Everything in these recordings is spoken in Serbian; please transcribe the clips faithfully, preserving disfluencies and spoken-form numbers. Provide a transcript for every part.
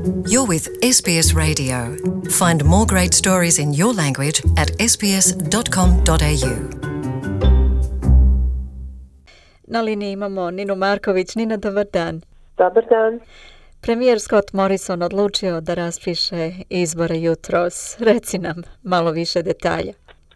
You're with S B S Radio. Find more great stories in your language at s b s dot com dot a u. Na liniji imamo Ninu Marković. Nina, dobar dan. Dobar dan. Premijer Scott Morrison odlučio da raspiše izbore jutros. Reci nam malo više detalja.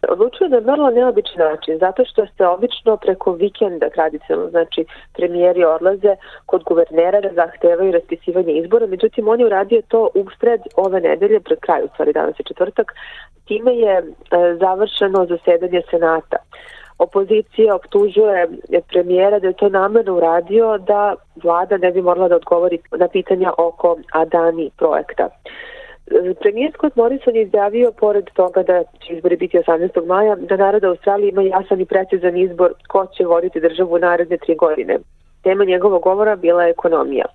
Odlučio je na vrlo neobičan način, zato što se obično preko vikenda tradicionalno, znači premijeri odlaze kod guvernera da zahtevaju raspisivanje izbora, međutim on je uradio to usred ove nedelje, pred kraju, u stvari danas je četvrtak, time je e, završeno zasedanje Senata. Opozicija optužuje premijera da je to namerno uradio da vlada ne bi morala da odgovori na pitanja oko Adani projekta. Premijer Scott Morrison je izjavio, pored toga da će izbori biti osamnaestog maja, da narod Australije ima jasan i precizan izbor ko će voditi državu u naredne tri godine. Tema njegovog govora bila je ekonomija.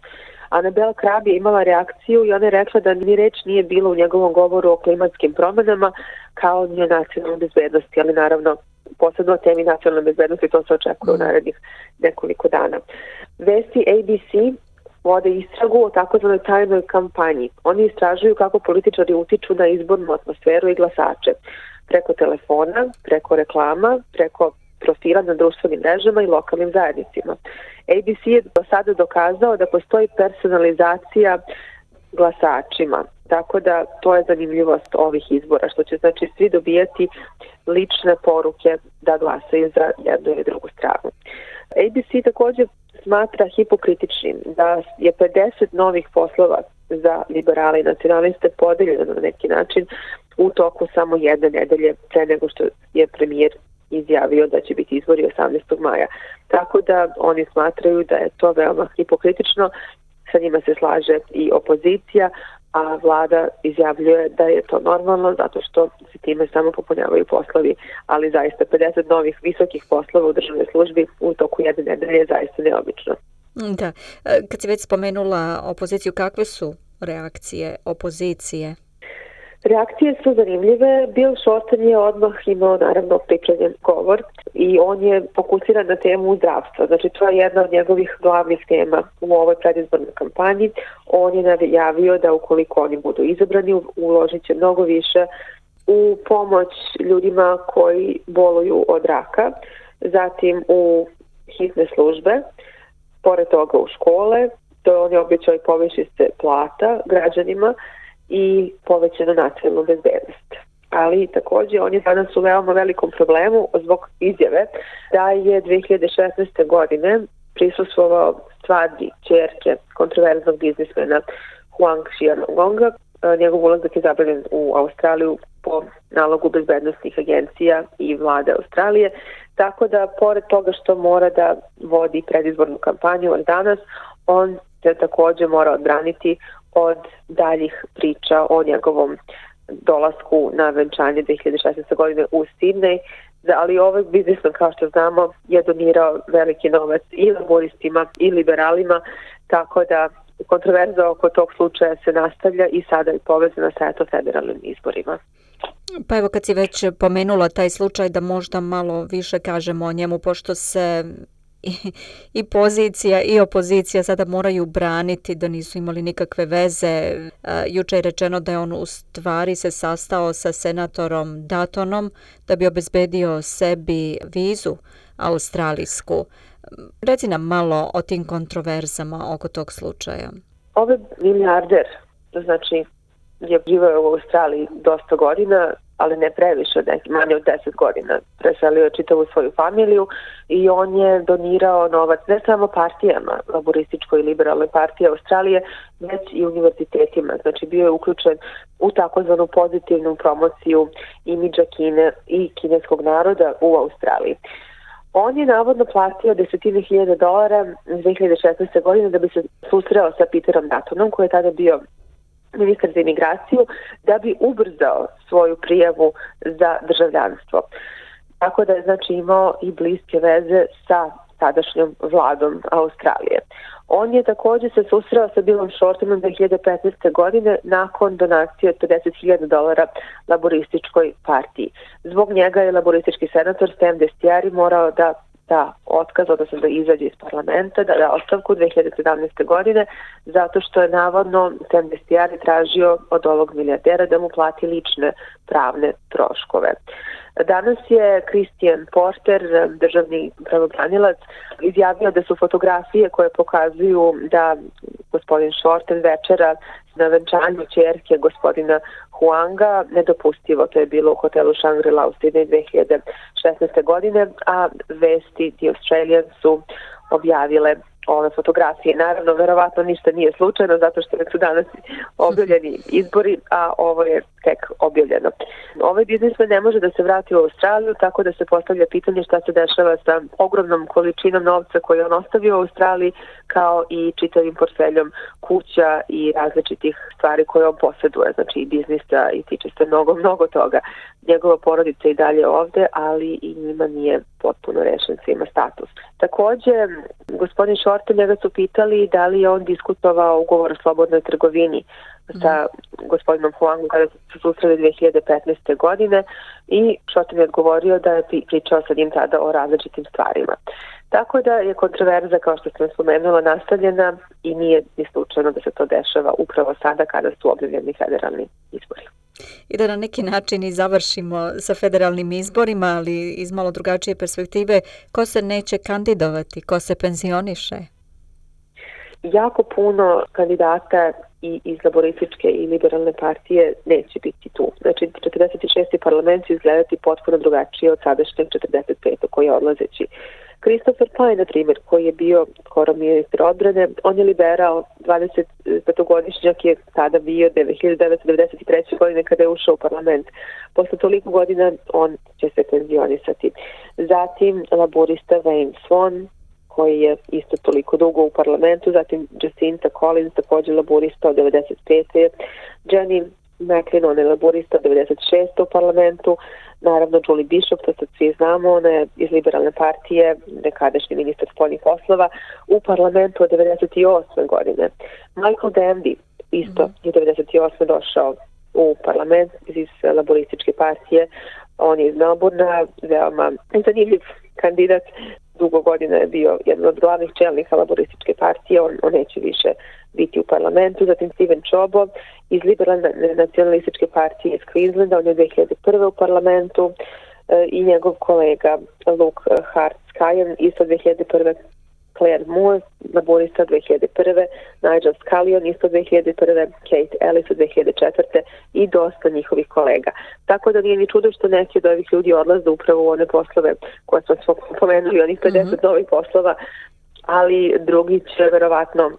Annabel Crabb je imala reakciju i ona je rekla da ni reč nije bilo u njegovom govoru o klimatskim promenama kao ni o nacionalnoj bezbednosti, ali naravno posebno o temi nacionalne bezbednosti, to se očekuje u narednih nekoliko dana. Vesti A B C vode istragu o takozvanoj tajnoj kampanji. Oni istražuju kako političari utiču na izbornu atmosferu i glasače. Preko telefona, preko reklama, preko profila na društvenim mrežama i lokalnim zajednicima. A B C je do sada dokazao da postoji personalizacija glasačima. Tako da to je zanimljivost ovih izbora, što će znači svi dobijati lične poruke da glasaju za jednu ili drugu stranu. A B C također smatra hipokritičnim da je pedeset novih poslova za liberale i nacionaliste podeljeno na neki način u toku samo jedne nedelje pre nego što je premijer izjavio da će biti izbori osamnaestog maja. Tako da oni smatraju da je to veoma hipokritično, sa njima se slaže i opozicija, a vlada izjavljuje da je to normalno zato što se time samo popunjavaju poslovi, ali zaista pedeset novih visokih poslova u državnoj službi u toku jedne nedelje je zaista neobično. Da, kad si već spomenula opoziciju, kakve su reakcije opozicije? Reakcije su zanimljive. Bill Shorten je odmah imao naravno pripremljen govor i on je fokusiran na temu zdravstva. Znači to je jedna od njegovih glavnih tema u ovoj predizbornoj kampanji. On je najavio da ukoliko oni budu izabrani uložit će mnogo više u pomoć ljudima koji boluju od raka, zatim u hitne službe, pored toga u škole, to on je obećao i poviši se plata građanima i povećanu nacionalnu bezbednost. Ali također on je danas u veoma velikom problemu zbog izjave da je dve hiljade šesnaeste. godine prisustvovao svadbi ćerke kontroverznog biznismena Huang Xiaogonga. Njegov ulazak je zabranjen u Australiju po nalogu bezbednostnih agencija i vlade Australije. Tako da, pored toga što mora da vodi predizbornu kampanju od danas, on se također mora odbraniti od daljih priča o njegovom dolasku na venčanje dve hiljade šesnaeste. godine u Sidney, ali ovaj biznisman, kao što znamo, je donirao veliki novac i laboristima i liberalima, tako da kontroverza oko tog slučaja se nastavlja i sada je povezana sa eto federalnim izborima. Pa evo, kad si već pomenula taj slučaj, da možda malo više kažemo o njemu, pošto se I, i pozicija i opozicija sada moraju braniti da nisu imali nikakve veze. Juče je rečeno da je on u stvari se sastao sa senatorom Duttonom da bi obezbedio sebi vizu australijsku. Reci nam malo o tim kontroverzama oko tog slučaja. Ovaj milijarder, znači, je živio u Australiji dosta godina, ali ne previše, neki manje od deset godina. Preselio je čitavu svoju familiju i on je donirao novac ne samo partijama, laborističkoj i liberalnoj partiji Australije, već i univerzitetima. Znači bio je uključen u takozvanu pozitivnu promociju imidža Kine i kineskog naroda u Australiji. On je navodno platio desetine hiljada dolara dve hiljade šesnaeste. godine da bi se susreo sa Peterom Duttonom, koji je tada bio ministar za imigraciju, da bi ubrzao svoju prijavu za državljanstvo. Tako da je znači imao i bliske veze sa tadašnjom vladom Australije. On je također se susreo sa Billom Shortenom dve hiljade petnaeste. godine nakon donacije od pedeset hiljada dolara laborističkoj partiji. Zbog njega je laboristički senator Sam Dastyari morao da da otkaz, odnosno da izađe iz parlamenta, da da ostavku dve hiljade sedamnaeste. godine, zato što je navodno Sam Dastyari tražio od ovog milijardera da mu plati lične pravne troškove. Danas je Christian Porter, državni pravobranilac, izjavio da su fotografije koje pokazuju da gospodin Shorten večera na venčanju ćerke gospodina Huanga nedopustivo. To je bilo u hotelu Shangri-La u Sidneju dve hiljade šesnaeste. godine, a vesti The Australian su objavile ove fotografije. Naravno, verovatno ništa nije slučajno, zato što su danas objavljeni izbori, a ovo je tek objavljeno. Ovaj biznismen ne može da se vrati u Australiju, tako da se postavlja pitanje šta se dešava sa ogromnom količinom novca koju on ostavio u Australiji, kao i čitavim portfeljom kuća i različitih stvari koje on posjeduje, znači i biznisa, i tiče se mnogo, mnogo toga. Njegova porodica i dalje ovde, ali i njima nije potpuno rešen svima status. Takođe, gospodin Shorten, njega su pitali da li je on diskutovao ugovor o slobodnoj trgovini sa gospodinom Huangom kada su se susreli dve hiljade petnaeste. godine i Shorten je odgovorio da je pričao sa njim tada o različitim stvarima. Tako da je kontroverza, kao što sam spomenula, nastavljena i nije ni slučajno da se to dešava upravo sada kada su objavljeni federalni izbori. I da na neki način i završimo sa federalnim izborima, ali iz malo drugačije perspektive, ko se neće kandidovati, ko se penzioniše? Jako puno kandidata i iz laborističke i liberalne partije neće biti tu. Znači, četrdeset šesti parlament će izgledati potpuno drugačije od sadašnjeg četrdeset petog koji je odlazeći. Christopher Pyne, na primjer, koji je bio skoro ministar odbrane, on je liberal, dvadesetpetogodišnjak je tada bio hiljadu devetsto devedeset treće. godine kada je ušao u parlament. Posle toliko godina on će se penzionisati. Zatim laborista Wayne Swan, koji je isto toliko dugo u parlamentu, zatim Jacinta Collins, također laborista od devedeset pete. Jenny McLean, ona je laborista od devedeset šeste. u parlamentu. Naravno, Julie Bishop, to sad svi znamo, ona je iz liberalne partije, nekadašnji ministar spoljnih poslova, u parlamentu od devedeset osme. godine. Michael Danby, isto je devedeset osme. došao u parlament iz laborističke partije. On je iz Melbourna, veoma zanimljiv kandidat. Dugo godina je bio jedan od glavnih čelnika laborističke partije, on, on neće više biti u parlamentu. Zatim Steven Chobo iz liberalne nacionalističke partije iz Queenslanda, on je dve hiljade prve. u parlamentu, e, i njegov kolega Luke Hart-Skyen, isto dve hiljade prve. Claire Moore, laborista dve hiljade prve. Nigel Scullion, isto dve hiljade prve. Kate Ellis od dve hiljade četvrte. i dosta njihovih kolega. Tako da nije ni čudo što neki od ovih ljudi odlaze upravo u one poslove koje smo pomenuli, onih pedeset mm-hmm. novih poslova, ali drugi će verovatno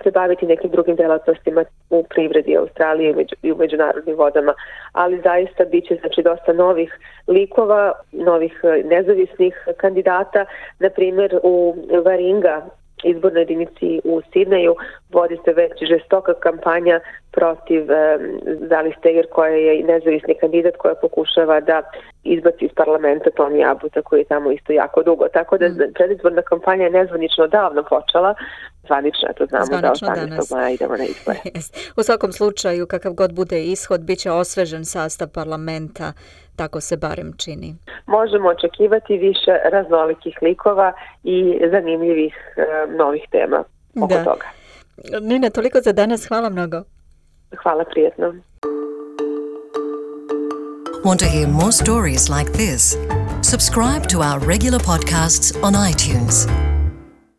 se baviti nekim drugim delatnostima u privredi Australije i u međunarodnim vodama, ali zaista bit će znači dosta novih likova, novih nezavisnih kandidata. Na primjer, u Varinga, izbornoj jedinici u Sidneju, vodi se već žestoka kampanja protiv um, Zali Steger, koja je nezavisni kandidat koja pokušava da izbaci iz parlamenta Tony Abbotta, koji je tamo isto jako dugo. Tako da mm. predizborna kampanja je nezvanično davno počela. Zvanično, to znamo zvanično da osamnaestog maja idemo na izbore. Yes. U svakom slučaju, kakav god bude ishod, bit će osvežen sastav parlamenta, tako se barem čini. Možemo očekivati više raznolikih likova i zanimljivih uh, novih tema oko da. toga. Nina, toliko za danas. Hvala mnogo. Hvala, prijetno. Want to hear more stories like this? Subscribe to our regular podcasts on iTunes.